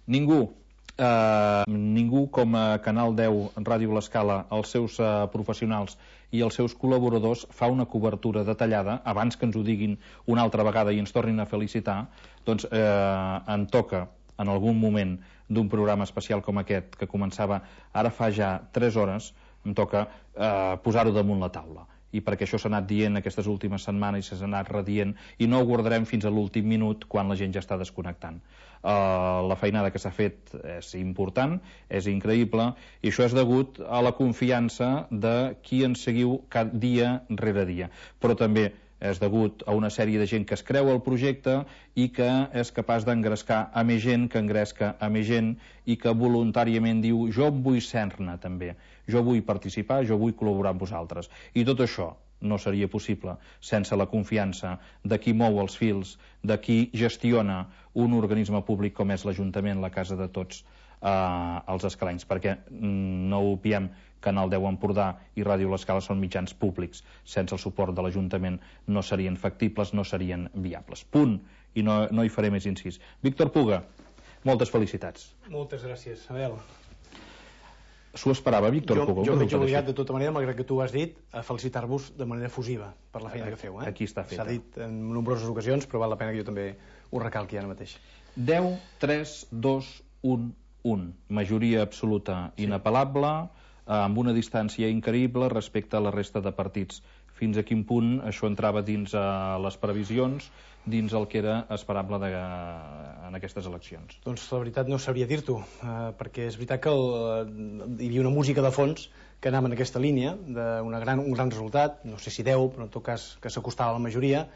Ningú com a Canal 10 Ràdio L'Escala, els seus professionals i els seus col·laboradors fa una cobertura detallada. Abans que ens ho diguin una altra vegada i ens tornin a felicitar, doncs em toca en algun moment d'un programa especial com aquest, que començava ara fa ja 3 hores, em toca posar-ho damunt la taula, i perquè això s'ha anat dient aquestes últimes setmanes i s'ha anat redient, i no ho guardarem fins a l'últim minut quan la gent ja està desconnectant. La feinada que s'ha fet és important, és increïble, i això és degut a la confiança de qui ens seguiu cada dia rere dia, però també és degut a una sèrie de gent que es creu el projecte i que és capaç d'engrescar a més gent, que engresca a més gent, i que voluntàriament diu: jo em vull ser-ne també, jo vull participar, jo vull col·laborar amb vosaltres. I tot això no seria possible sense la confiança de qui mou els fils, de qui gestiona un organisme públic com és l'Ajuntament, la casa de tots els escalencs, perquè no ho obviem, Canal 10 Empordà i Ràdio L'Escala són mitjans públics. Sense el suport de l'Ajuntament no serien factibles, no serien viables. Punt. I no hi faré més incís. Víctor Puga, moltes felicitats. Moltes gràcies, Abel. S'ho esperava, Víctor Puga? Jo veig obligat, de tota manera, malgrat que tu ho has dit, a felicitar-vos de manera efusiva per la feina que feu. Aquí està feta. S'ha dit en nombroses ocasions, però val la pena que jo també ho recalqui ara mateix. 10, 3, 2, 1, 1. Majoria absoluta inapel·lable, amb una distància increïble respecte a la resta de partits. Fins a quin punt això entrava dins les previsions, dins el que era esperable en aquestes eleccions? Doncs la veritat no sabria dir-t'ho, perquè és veritat que hi havia una música de fons que anava en aquesta línia d'un gran resultat, no sé si 10, però en tot cas que s'acostava a la majoria.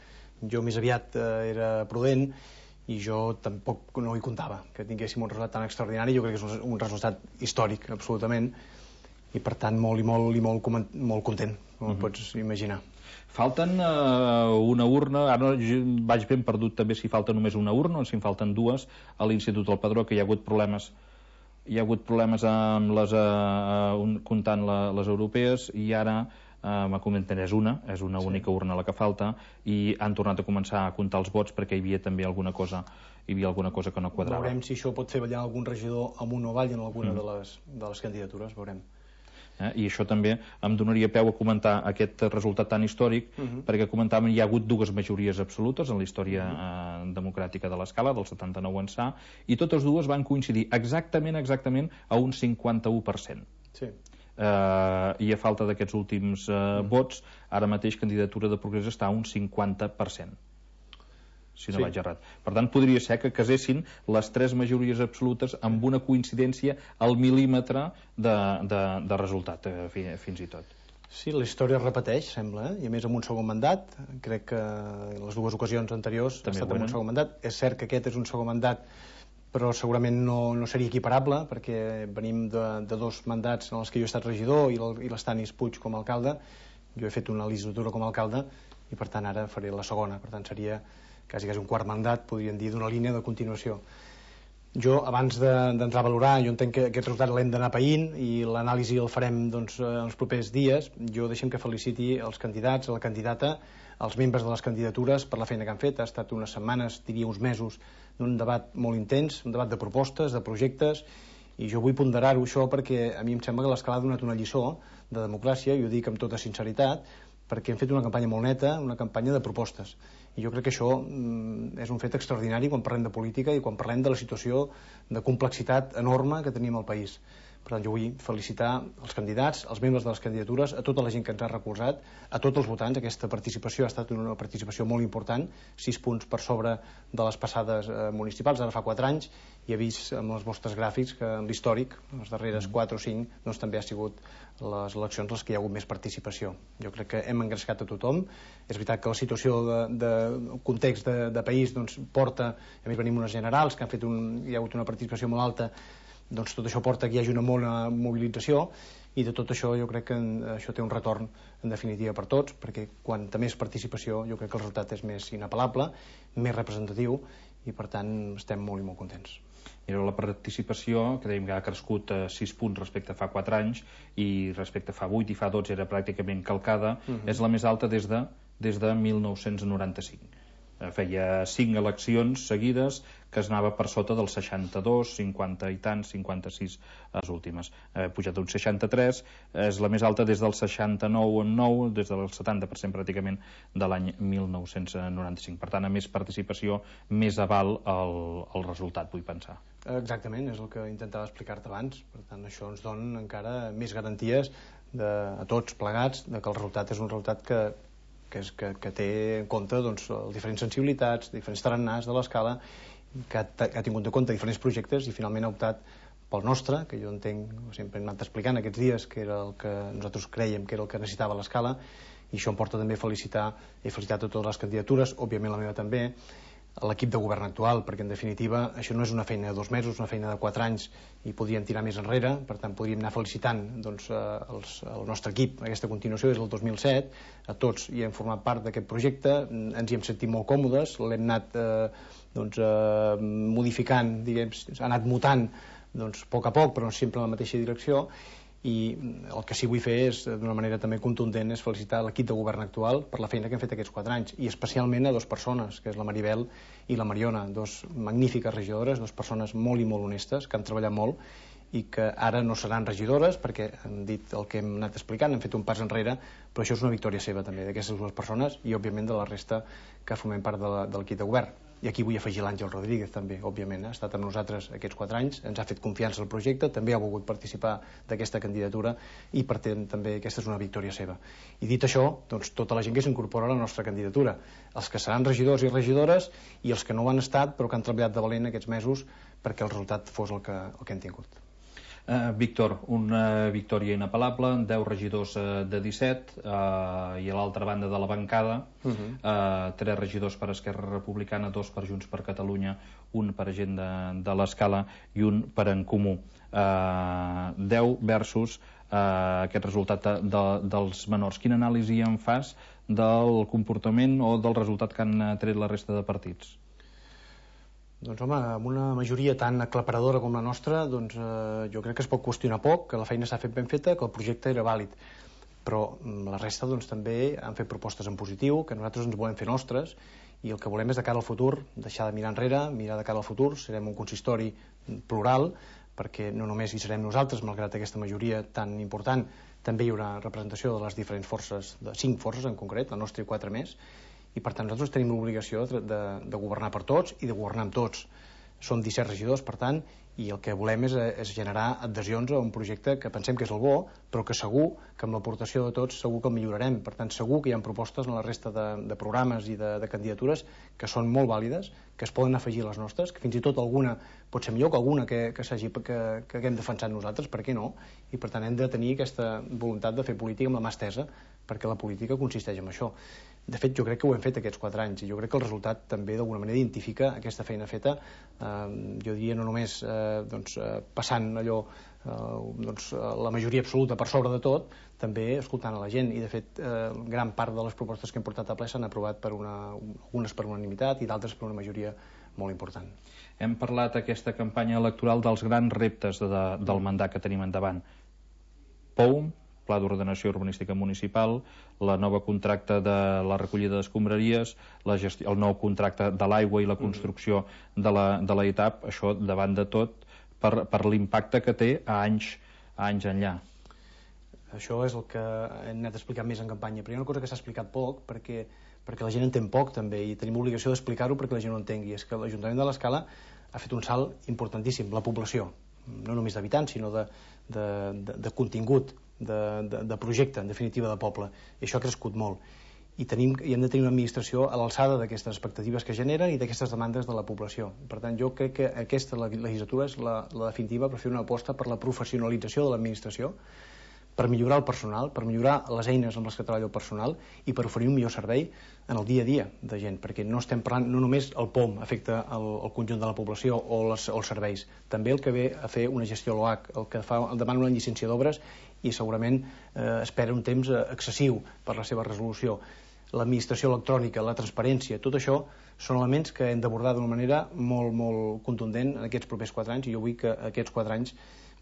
Jo més aviat era prudent i jo tampoc no hi comptava que tinguéssim un resultat tan extraordinari. Jo crec que és un resultat històric, absolutament, i per tant molt content, com pots imaginar. Falten una urna, ara vaig ben perdut també si falta només una urna o si en falten dues a l'Institut del Padró, que hi ha hagut problemes amb comptant les europees, i ara m'ha comentat és una única urna la que falta, i han tornat a començar a comptar els vots perquè hi havia també alguna cosa que no quadrava. Veurem si això pot fer ballar algun regidor amunt o avall en alguna de les candidatures, veurem. I això també em donaria peu a comentar aquest resultat tan històric, perquè comentàvem hi ha hagut dues majories absolutes en la història democràtica de l'Escala, del 79 ençà, i totes dues van coincidir exactament a un 51%. Sí. I a falta d'aquests últims vots, ara mateix Candidatura de Progrés està a un 50%, si no vaig errat. Per tant, podria ser que casessin les tres majories absolutes amb una coincidència al mil·límetre de resultat, fins i tot. Sí, la història es repeteix, sembla, i a més amb un segon mandat. Crec que en les dues ocasions anteriors ha estat amb un segon mandat. És cert que aquest és un segon mandat, però segurament no seria equiparable, perquè venim de dos mandats en els que jo he estat regidor i l'Estanis Puig com a alcalde. Jo he fet una legislatura com a alcalde i per tant ara faré la segona, per tant seria quasi un quart mandat, podríem dir, d'una línia de continuació. Jo, abans d'entrar a valorar, jo entenc que aquest resultat l'hem d'anar païnt i l'anàlisi el farem en els propers dies. Jo deixem que feliciti els candidats, la candidata, els membres de les candidatures per la feina que han fet. Ha estat unes setmanes, diria uns mesos, d'un debat molt intens, un debat de propostes, de projectes, i jo vull ponderar-ho això perquè a mi em sembla que l'Escala ha donat una lliçó de democràcia, i ho dic amb tota sinceritat, perquè hem fet una campanya molt neta, una campanya de propostes, i jo crec que això és un fet extraordinari quan parlem de política i quan parlem de la situació de complexitat enorme que tenim al país. Per tant, jo vull felicitar els candidats, els membres de les candidatures, a tota la gent que ens ha recolzat, a tots els votants. Aquesta participació ha estat una participació molt important, 6 punts per sobre de les passades municipals, ara fa 4 anys, i he vist amb els vostres gràfics que en l'històric, les darreres 4 o 5, doncs també ha sigut les eleccions les que hi ha hagut més participació. Jo crec que hem engrescat a tothom. És veritat que la situació de context de país doncs, porta, a més venim unes generals que han fet hi ha hagut una participació molt alta, doncs tot això porta que hi hagi una bona mobilització, i de tot això jo crec que això té un retorn en definitiva per tots, perquè quanta més participació jo crec que el resultat és més inapel·lable, més representatiu, i per tant estem molt i molt contents. Era la participació, que dèiem que ha crescut 6 punts respecte a fa 4 anys, i respecte a fa 8 i fa 12 era pràcticament calcada, és la més alta des de 1995. feia 5 eleccions seguides que es anava per sota dels 62, 50 i tants, 56 les últimes. Ha pujat d'un 63, és la més alta des del 69 en 9, des del 70% pràcticament de l'any 1995. Per tant, a més participació, més aval al resultat, vull pensar. Exactament, és el que intentava explicar-te abans. Per tant, això ens dona encara més garanties a tots plegats de que el resultat és un resultat que té en compte doncs, diferents sensibilitats, diferents tarannars de l'escala, que ha tingut en compte diferents projectes i finalment ha optat pel nostre, que jo entenc, sempre hem anat explicant aquests dies, que era el que nosaltres creiem que era el que necessitava l'escala, i això em porta també a felicitar a totes les candidatures, òbviament la meva també, a l'equip de govern actual, perquè en definitiva això no és una feina de 2 mesos, una feina de 4 anys i podríem tirar més enrere, per tant podríem anar felicitant doncs, el nostre equip, aquesta continuació des del 2007, a tots hi hem format part d'aquest projecte, ens hi hem sentit molt còmodes, l'hem anat modificant, diguem, ha anat mutant doncs, a poc, però sempre en la mateixa direcció, i el que sí vull fer és, d'una manera també contundent, és felicitar l'equip de govern actual per la feina que hem fet aquests 4 anys, i especialment a 2 persones, que és la Maribel i la Mariona, 2 magnífiques regidores, 2 persones molt i molt honestes, que han treballat molt i que ara no seran regidores perquè han dit el que hem anat explicant, han fet un pas enrere, però això és una victòria seva també, d'aquestes 2 persones i òbviament de la resta que formem part de l'equip de govern. I aquí vull afegir l'Àngel Rodríguez també, òbviament, ha estat amb nosaltres aquests 4 anys, ens ha fet confiança al projecte, també ha volgut participar d'aquesta candidatura i per tant també aquesta és una victòria seva. I dit això, doncs tota la gent que s'incorpora a la nostra candidatura, els que seran regidors i regidores i els que no ho han estat però que han treballat de valent aquests mesos perquè el resultat fos el que hem tingut. Víctor, una victòria inapel·lable, 10 regidors de 17 i a l'altra banda de la bancada 3 regidors per Esquerra Republicana, 2 per Junts per Catalunya, 1 per Gent de l'Escala i 1 per En Comú. 10 versus aquest resultat dels menors. Quina anàlisi en fas del comportament o del resultat que han tret la resta de partits? Doncs home, amb una majoria tan aclaparadora com la nostra, doncs jo crec que es pot qüestionar poc, que la feina s'ha fet ben feta, que el projecte era vàlid. Però la resta doncs també han fet propostes en positiu, que nosaltres ens volem fer nostres, i el que volem és de cara al futur, deixar de mirar enrere, mirar de cara al futur, serem un consistori plural, perquè no només hi serem nosaltres, malgrat aquesta majoria tan important, també hi haurà representació de les diferents forces, de 5 forces en concret, la nostra i 4 més, i per tant nosaltres tenim l'obligació de governar per tots i de governar amb tots. Som 17 regidors, per tant, i el que volem és generar adhesions a un projecte que pensem que és el bo, però que segur que amb l'aportació de tots segur que el millorarem. Per tant, segur que hi ha propostes en la resta de programes i de candidatures que són molt vàlides, que es poden afegir a les nostres, que fins i tot alguna pot ser millor que alguna que haguem defensat nosaltres, per què no? I per tant hem de tenir aquesta voluntat de fer política amb la mà estesa, perquè la política consisteix en això. De fet, jo crec que ho hem fet aquests 4 anys i jo crec que el resultat també d'alguna manera identifica aquesta feina feta, jo diria no només passant allò la majoria absoluta per sobre de tot, també escoltant a la gent, i de fet gran part de les propostes que hem portat a ple s'han aprovat algunes per unanimitat i d'altres per una majoria molt important. Hem parlat aquesta campanya electoral dels grans reptes del mandat que tenim endavant. POUM, Pla d'Ordenació Urbanística Municipal, la nova contracte de la recollida d'escombraries, el nou contracte de l'aigua i la construcció de la ETAP, això davant de tot per l'impacte que té a anys enllà. Això és el que hem anat explicant més en campanya, però hi ha una cosa que s'ha explicat poc perquè la gent entén poc també i tenim l'obligació d'explicar-ho perquè la gent ho entengui, és que l'Ajuntament de l'Escala ha fet un salt importantíssim, la població, no només d'habitants sinó de contingut, de projecte, en definitiva de poble, i això ha crescut molt i hem de tenir una administració a l'alçada d'aquestes expectatives que generen i d'aquestes demandes de la població. Per tant, jo crec que aquesta legislatura és la definitiva per fer una aposta per la professionalització de l'administració, per millorar el personal, per millorar les eines amb les que treballa el personal i per oferir un millor servei en el dia a dia de gent, perquè no estem parlant, no només el POM afecta el conjunt de la població o els serveis, també el que ve a fer una gestió a l'OAC, el que demana una llicència d'obres i segurament espera un temps excessiu per la seva resolució. L'administració electrònica, la transparència, tot això són elements que hem d'abordar d'una manera molt, molt contundent en aquests propers 4 anys i jo vull que aquests 4 anys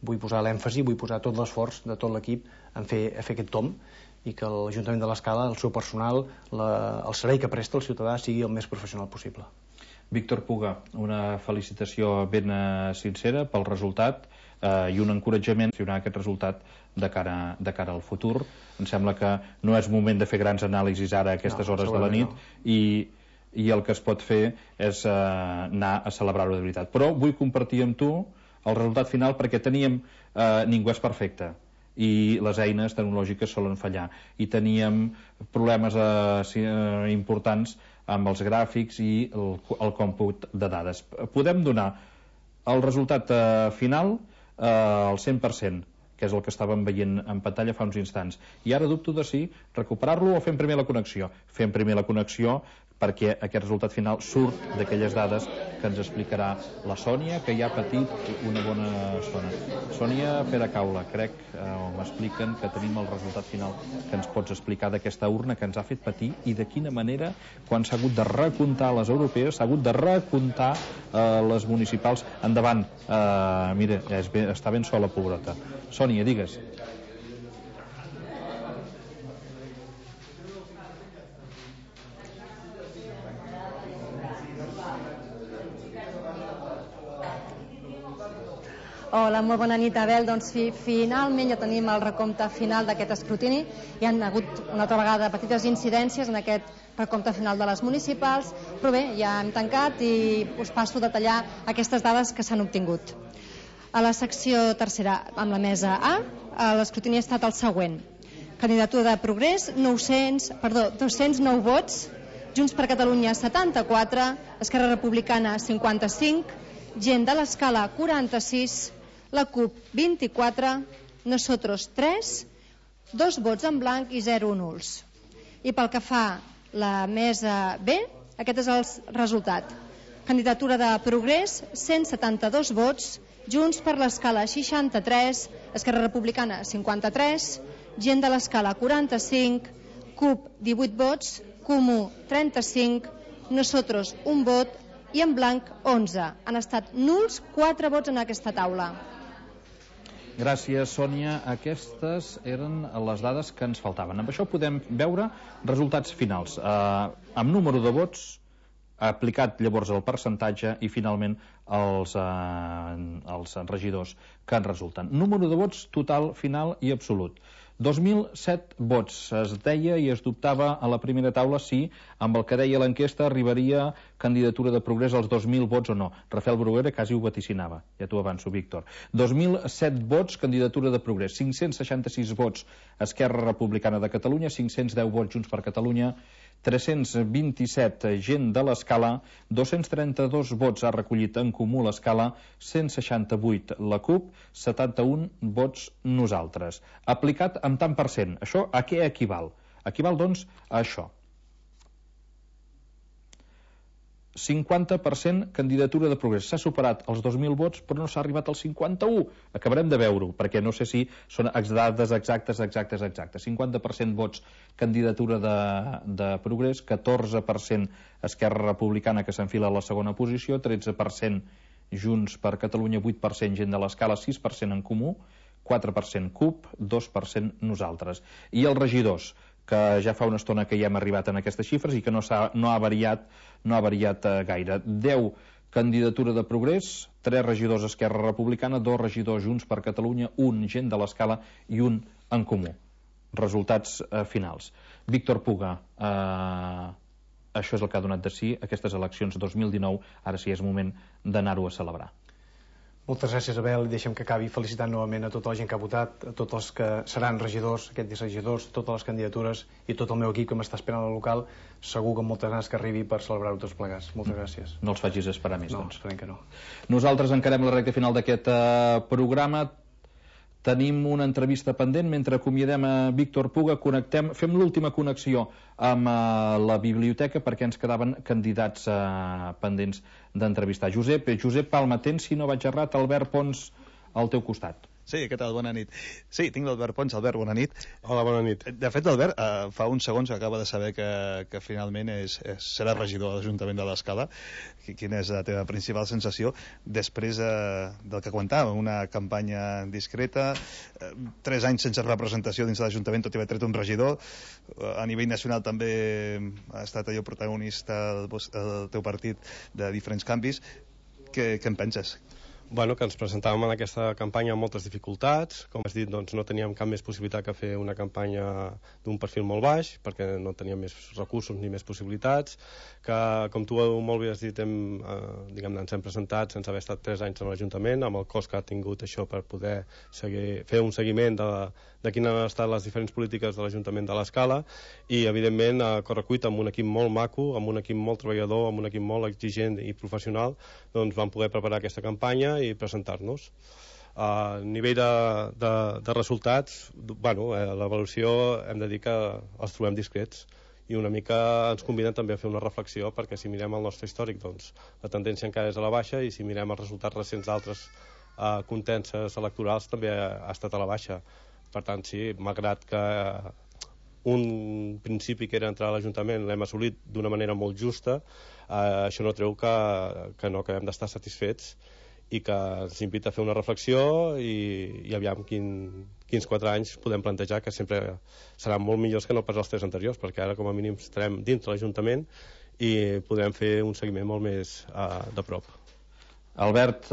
vull posar l'èmfasi, vull posar tot l'esforç de tot l'equip en fer aquest tomb i que l'Ajuntament de l'Escala, el seu personal, el servei que presta el ciutadà sigui el més professional possible. Víctor Puga, una felicitació ben sincera pel resultat i un encoratjament a gestionar aquest resultat de cara al futur. Em sembla que no és moment de fer grans anàlisis ara a aquestes hores de la nit i el que es pot fer és anar a celebrar-ho de veritat. Però vull compartir amb tu el resultat final perquè ningú és perfecte i les eines tecnològiques solen fallar i teníem problemes importants amb els gràfics i el còmput de dades. Podem donar el resultat final al 100%, que és el que estàvem veient en pantalla fa uns instants, i ara dubto de si recuperar-lo o fem primer la connexió. Fem primer la connexió perquè aquest resultat final surt d'aquelles dades que ens explicarà la Sònia, que ja ha patit una bona estona. Sònia Peracaula, crec, m'expliquen que tenim el resultat final que ens pots explicar d'aquesta urna que ens ha fet patir i de quina manera, quan s'ha hagut de recomptar les europees, s'ha hagut de recomptar les municipals. Endavant, mira, està ben sola, pobreta. Sònia, digues. Hola, molt bona nit, Abel. Doncs finalment ja tenim el recompte final d'aquest escrutini. Hi han hagut una altra vegada petites incidències en aquest recompte final de les municipals, però bé, ja hem tancat i us passo a detallar aquestes dades que s'han obtingut. A la secció tercera, amb la mesa A, l'escrutini ha estat el següent. Candidatura de Progrés, 209 vots, Junts per Catalunya 74, Esquerra Republicana 55, Gent de l'Escala 46, la CUP 24, Nosotros 3, 2 vots en blanc i 0 nuls. I pel que fa la mesa B, aquest és el resultat. Candidatura de Progrés, 172 vots, Junts per l'Escala 63, Esquerra Republicana 53, Gent de l'Escala 45, CUP 18 vots, Comú 35, Nosotros 1 vot i en blanc 11. Han estat nuls 4 vots en aquesta taula. Gràcies, Sònia. Aquestes eren les dades que ens faltaven. Amb això podem veure resultats finals. Amb número de vots, aplicat llavors el percentatge i finalment els regidors que en resulten. Número de vots total, final i absolut. 2.007 vots. Es deia i es dubtava a la primera taula si amb el que deia l'enquesta arribaria candidatura de Progrés als 2.000 vots o no. Rafael Bruguera quasi ho vaticinava, ja t'ho avanço, Víctor. 2.007 vots, candidatura de Progrés. 566 vots, Esquerra Republicana de Catalunya. 510 vots, Junts per Catalunya. 327 Gent de l'Escala, 232 vots ha recollit en Comú l'Escala, 168 la CUP, 71 vots nosaltres. Aplicat amb tant per cent. Això a què equival? Equival, doncs, a això. 50% candidatura de Progrés. S'ha superat els 2.000 vots, però no s'ha arribat als 51. Acabarem de veure-ho, perquè no sé si són dades exactes. 50% vots candidatura de Progrés, 14% Esquerra Republicana, que s'enfila a la segona posició, 13% Junts per Catalunya, 8% Gent de l'Escala, 6% en Comú, 4% CUP, 2% nosaltres. I els regidors, que ja fa una estona que ja hem arribat en aquestes xifres i que no ha variat gaire. 10 candidatura de Progrés, 3 regidors Esquerra Republicana, 2 regidors Junts per Catalunya, 1 Gent de l'Escala i 1 en Comú. Resultats finals. Víctor Puga, això és el que ha donat de si aquestes eleccions 2019, ara sí és moment d'anar-ho a celebrar. Moltes gràcies, Abel, i deixem que acabi felicitant novament a tota la gent que ha votat, a tots els que seran regidors, aquests regidors, totes les candidatures i tot el meu equip que m'està esperant al local, segur que amb moltes ganes que arribi per celebrar-ho tots plegats. Moltes gràcies. No els facis esperar més, doncs. No, esperem que no. Nosaltres encarem la recta final d'aquest programa. Tenim una entrevista pendent. Mentre acomiadem a Víctor Puga, fem l'última connexió amb la biblioteca perquè ens quedaven candidats pendents d'entrevistar. Josep Palma, tens, si no vaig errat, Albert Pons al teu costat. Sí, què tal? Bona nit. Sí, tinc l'Albert Pons. Albert, bona nit. Hola, bona nit. De fet, Albert, fa uns segons acaba de saber que finalment serà regidor de l'Ajuntament de l'Escala. Quina és la teva principal sensació després del que comentava, una campanya discreta, 3 anys sense representació dins de l'Ajuntament, tot i haver tret un regidor, a nivell nacional també ha estat allò protagonista el teu partit de diferents canvis. Què en penses? Bueno, que ens presentàvem en aquesta campanya amb moltes dificultats. Com has dit, doncs, no teníem cap més possibilitat que fer una campanya d'un perfil molt baix, perquè no teníem més recursos ni més possibilitats, que, com tu molt bé has dit, ens hem presentat sense haver estat 3 anys en l'Ajuntament, amb el cost que ha tingut això per poder fer un seguiment de quines han estat les diferents polítiques de l'Ajuntament de l'Escala, i, evidentment, a correcuita, amb un equip molt maco, amb un equip molt treballador, amb un equip molt exigent i professional, doncs vam poder preparar aquesta campanya i presentar-nos. A nivell de resultats, l'avaluació hem de dir que els trobem discrets i una mica ens conviden també a fer una reflexió, perquè si mirem el nostre històric, doncs la tendència encara és a la baixa, i si mirem els resultats recents d'altres contences electorals també ha estat a la baixa. Per tant, sí, malgrat que un principi que era entrar a l'Ajuntament l'hem assolit d'una manera molt justa, això no treu que no acabem d'estar satisfets, i que ens invita a fer una reflexió i aviam quins 4 anys podem plantejar, que sempre seran molt millors que no pas els 3 anteriors, perquè ara com a mínim estarem dins de l'Ajuntament i podrem fer un seguiment molt més de prop. Albert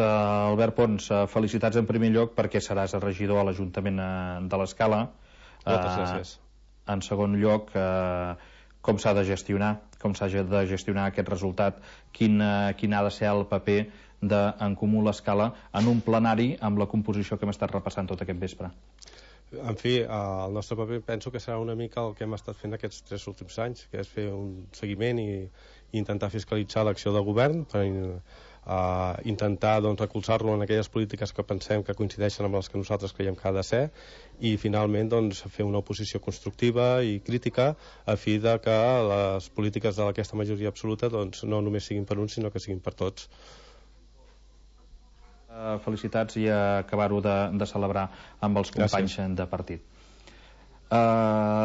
Pons, felicitats en primer lloc perquè seràs regidor a l'Ajuntament de l'Escala. Moltes gràcies. En segon lloc, com s'ha de gestionar aquest resultat, quin ha de ser el paper d'en Comú l'Escala en un plenari amb la composició que hem estat repassant tot aquest vespre. En fi, el nostre paper penso que serà una mica el que hem estat fent aquests 3 últims anys, que és fer un seguiment i intentar fiscalitzar l'acció del govern per intentar recolzar-lo en aquelles polítiques que pensem que coincideixen amb les que nosaltres creiem que ha de ser, i finalment fer una oposició constructiva i crítica a fi de que les polítiques d'aquesta majoria absoluta no només siguin per uns, sinó que siguin per tots. Felicitats i acabar-ho de celebrar amb els companys de partit.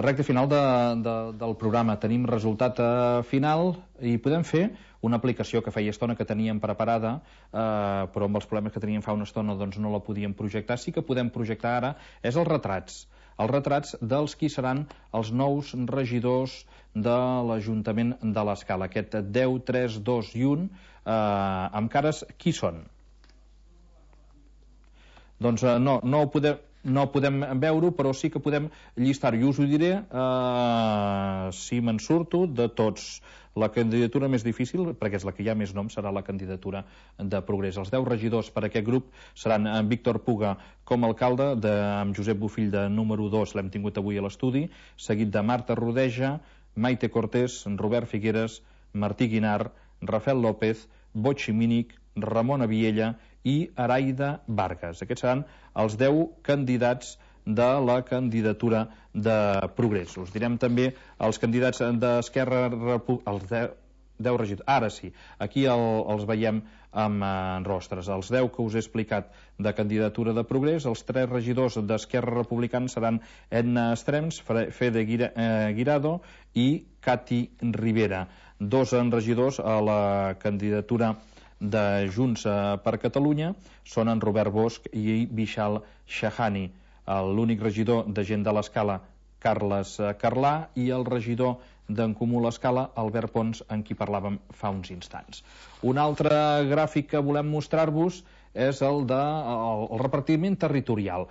Recte final del programa. Tenim resultat final i podem fer una aplicació que feia estona que teníem preparada, però amb els problemes que teníem fa una estona doncs no la podíem projectar. Sí que podem projectar ara, és els retrats dels qui seran els nous regidors de l'Ajuntament de l'Escala. Aquest 10, 3, 2 i 1 amb cares, qui són? Doncs no podem veure-ho, però sí que podem llistar-ho. I us ho diré si me'n surto de tots. La candidatura més difícil, perquè és la que hi ha més nom, serà la candidatura de Progrés. Els 10 regidors per a aquest grup seran en Víctor Puga com a alcalde, amb Josep Bofill de número 2, l'hem tingut avui a l'estudi, seguit de Marta Rodeja, Maite Cortés, Robert Figueres, Martí Guinar, Rafael López, Botxi Mínic, Ramona Viella i Araida Vargas. Aquests seran els 10 candidats de la candidatura de Progrés. Us direm també els candidats d'Esquerra Republicana, els 10 regidors. Ara sí, aquí els veiem amb rostres. Els 10 que us he explicat de candidatura de Progrés, els 3 regidors d'Esquerra Republicana seran Edna Estrems, Fede Guirado i Cati Rivera. 2 regidors a la candidatura de Junts per Catalunya són en Robert Bosch i Vishal Shahani. L'únic regidor de Gent de l'Escala, Carles Carlà, i el regidor d'en Comú l'Escala, Albert Pons, en qui parlàvem fa uns instants. Un altre gràfic que volem mostrar-vos és el del repartiment territorial.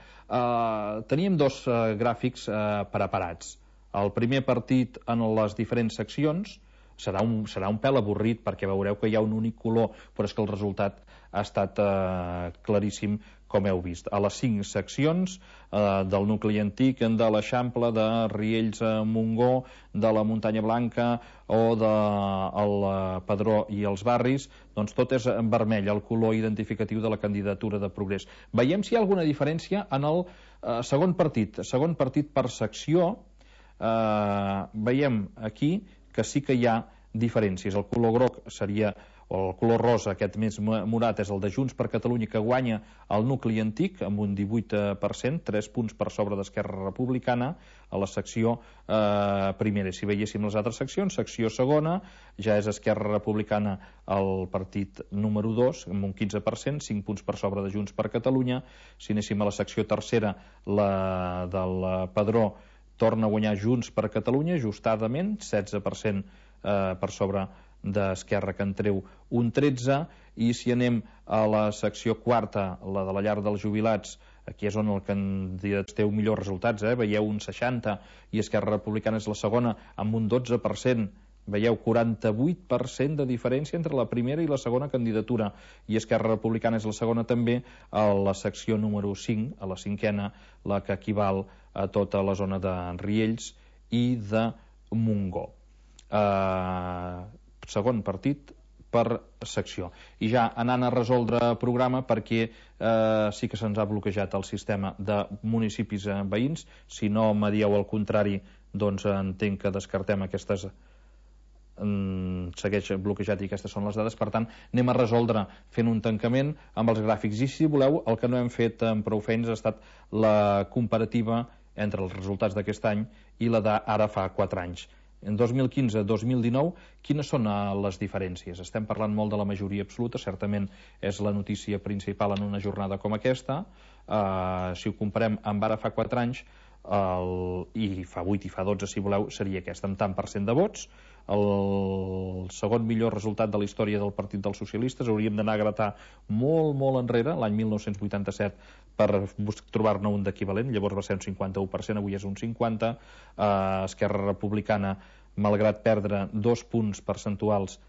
Teníem 2 gràfics preparats. El primer partit en les diferents seccions serà un pèl avorrit, perquè veureu que hi ha un únic color, però és que el resultat ha estat claríssim, com heu vist. A les 5 seccions del nucli antic, de l'Eixample, de Riells a Montgó, de la Muntanya Blanca o del Padró i els barris, doncs tot és en vermell, el color identificatiu de la candidatura de Progrés. Veiem si hi ha alguna diferència en el segon partit per secció. Veiem aquí que sí que hi ha diferències. El color groc seria o el color rosa, aquest més morat, és el de Junts per Catalunya, que guanya el nucli antic amb un 18%, 3 punts per sobre d'Esquerra Republicana a la secció primera. Si veiéssim les altres seccions, secció segona ja és Esquerra Republicana el partit número 2 amb un 15%, 5 punts per sobre de Junts per Catalunya. Si anéssim a la secció tercera, la del Padró, torna a guanyar Junts per Catalunya ajustadament, 16% per sobre d'Esquerra, que en treu un 13%, i si anem a la secció quarta, la de la llar dels jubilats, aquí és on el candidat té millors resultats, veieu un 60%, i Esquerra Republicana és la segona amb un 12%, veieu 48% de diferència entre la primera i la segona candidatura, i Esquerra Republicana és la segona també a la secció número 5, a la cinquena, la que equival a tota la zona de Riells i de Montgó. Segon partit per secció. I ja anant a resoldre programa, perquè sí que se'ns ha bloquejat el sistema de municipis veïns. Si no me dieu el contrari, doncs entenc que descartem aquestes, segueix bloquejat i aquestes són les dades. Per tant, anem a resoldre fent un tancament amb els gràfics, i si voleu, el que no hem fet amb prou feines ha estat la comparativa entre els resultats d'aquest any i la d'ara fa 4 anys. En 2015-2019, quines són les diferències? Estem parlant molt de la majoria absoluta, certament és la notícia principal en una jornada com aquesta. Si ho comparem amb ara fa 4 anys, i fa 8 i fa 12 si voleu, seria aquesta, amb tant per cent de vots. El segon millor resultat de la història del Partit dels Socialistes. Hauríem d'anar a gratar molt, molt enrere, l'any 1987, per trobar-ne un d'equivalent. Llavors va ser un 51%, avui és un 50%. Esquerra Republicana, malgrat perdre 2 punts percentuals,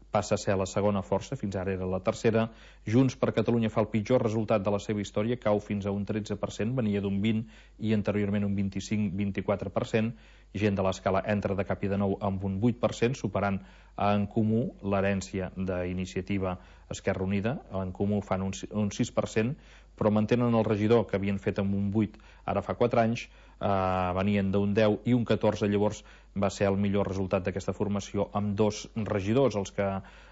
passa a ser la segona força, fins ara era la tercera. Junts per Catalunya fa el pitjor resultat de la seva història, cau fins a un 13%, venia d'un 20% i anteriorment un 25-24%. Gent de l'Escala entra de cap i de nou amb un 8%, superant a En Comú l'herència d'Iniciativa Esquerra Unida. A En Comú fan un 6%, però mantenen el regidor que havien fet amb un 8 ara fa 4 anys, venien d'un 10 i un 14, llavors va ser el millor resultat d'aquesta formació amb 2 regidors, els que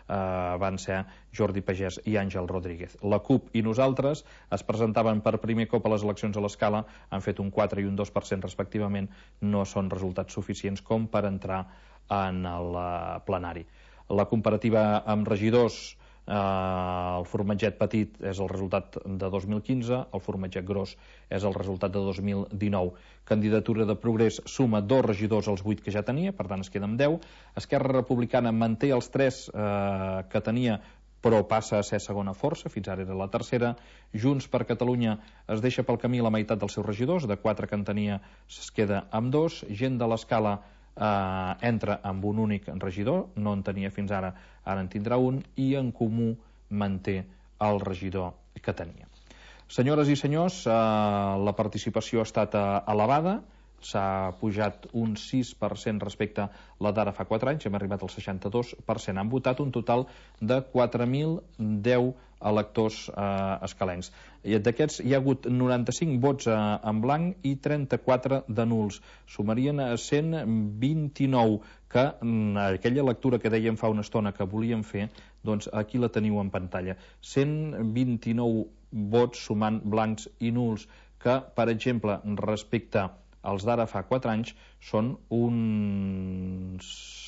van ser Jordi Pagès i Àngel Rodríguez. La CUP i nosaltres es presentaven per primer cop a les eleccions a l'Escala, han fet un 4 i un 2% respectivament, no són resultats suficients com per entrar en el plenari. La comparativa amb regidors, el formatget petit és el resultat de 2015, el formatget gros és el resultat de 2019. Candidatura de Progrés suma 2 regidors als 8 que ja tenia, per tant es queda amb 10. Esquerra Republicana manté els 3 que tenia, però passa a ser segona força, fins ara era la tercera. Junts per Catalunya es deixa pel camí la meitat dels seus regidors, de 4 que en tenia es queda amb 2. Gent de l'Escala entra amb un únic regidor, no en tenia fins ara, ara en tindrà un, i En Comú manté el regidor que tenia. Senyores i senyors, la participació ha estat elevada, s'ha pujat un 6% respecte a la d'ara fa 4 anys, hem arribat al 62%. Han votat un total de 4.010 electors escalencs. D'aquests hi ha hagut 95 vots en blanc i 34 de nuls. Sumarien a 129, que aquella lectura que dèiem fa una estona que volíem fer, doncs aquí la teniu en pantalla. 129 vots sumant blancs i nuls, que, per exemple, respecte els d'ara fa 4 anys són uns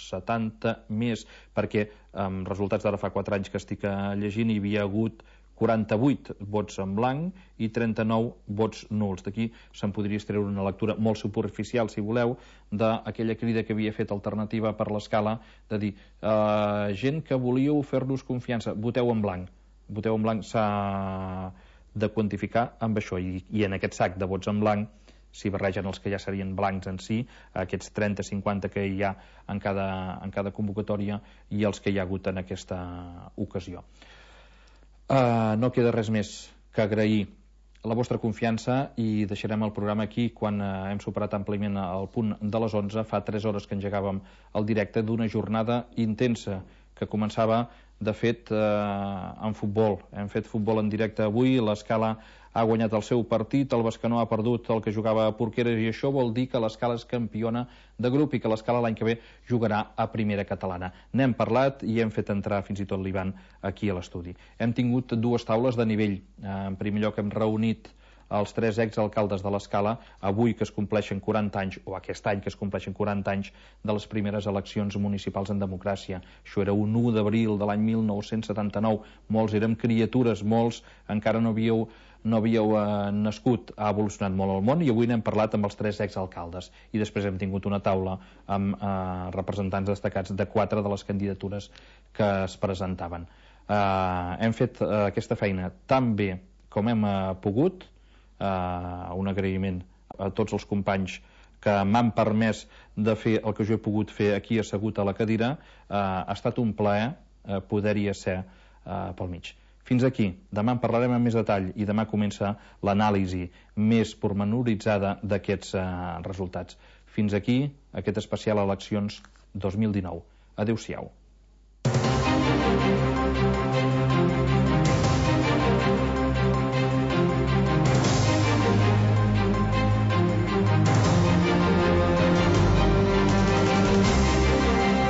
70 més, perquè amb resultats d'ara fa 4 anys que estic llegint hi havia hagut 48 vots en blanc i 39 vots nuls. D'aquí se'n podria extreure una lectura molt superficial, si voleu, d'aquella crida que havia fet Alternativa per l'Escala, de dir, gent que volíeu fer-nos confiança, voteu en blanc. Voteu en blanc s'ha de quantificar amb això, i en aquest sac de vots en blanc s'hi barregen els que ja serien blancs en si, aquests 30-50 que hi ha en cada convocatòria i els que hi ha hagut en aquesta ocasió. No queda res més que agrair la vostra confiança i deixarem el programa aquí quan hem superat àmpliament el punt de les 11. Fa 3 hores que engegàvem el directe d'una jornada intensa que començava de fet, en futbol. Hem fet futbol en directe avui, l'Escala ha guanyat el seu partit, el Bescanó ha perdut el que jugava a Porqueres, i això vol dir que l'Escala és campiona de grup i que l'Escala l'any que ve jugarà a primera catalana. N'hem parlat i hem fet entrar fins i tot l'Ivan aquí a l'estudi. Hem tingut dues taules de nivell. En primer lloc hem reunit els 3 exalcaldes de l'Escala, avui que es compleixen 40 anys, o aquest any que es compleixen 40 anys de les primeres eleccions municipals en democràcia. Això era un 1 d'abril de l'any 1979. Molts érem criatures, molts encara no havíeu nascut. Ha evolucionat molt el món i avui n'hem parlat amb els 3 exalcaldes. I després hem tingut una taula amb representants destacats de 4 de les candidatures que es presentaven. Hem fet aquesta feina tan bé com hem pogut. Un agraïment a tots els companys que m'han permès de fer el que jo he pogut fer aquí assegut a la cadira. Ha estat un plaer poder-hi ser pel mig. Fins aquí. Demà en parlarem amb més detall i demà comença l'anàlisi més pormenoritzada d'aquests resultats. Fins aquí aquest especial Eleccions 2019. Adéu-siau.